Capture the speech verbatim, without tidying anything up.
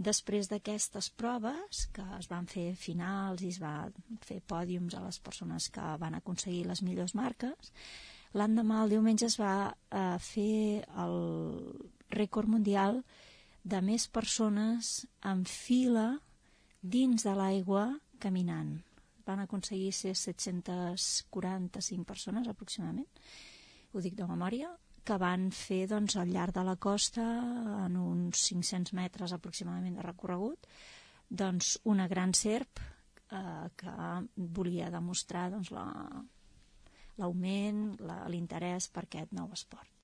Després d'aquestes proves, que es van fer finals i es va fer pòdiums a les persones que van aconseguir les millors marques, l'endemà, el diumenge, es va eh, fer el rècord mundial de més persones en fila dins de l'aigua caminant. Van aconseguir ser set-cents quaranta-cinc persones aproximadament, ho dic de memòria, que van fer doncs, al llarg de la costa, en uns cinc-cents metres aproximadament de recorregut, doncs, una gran serp eh, que volia demostrar doncs, la, l'augment, la, l'interès per aquest nou esport.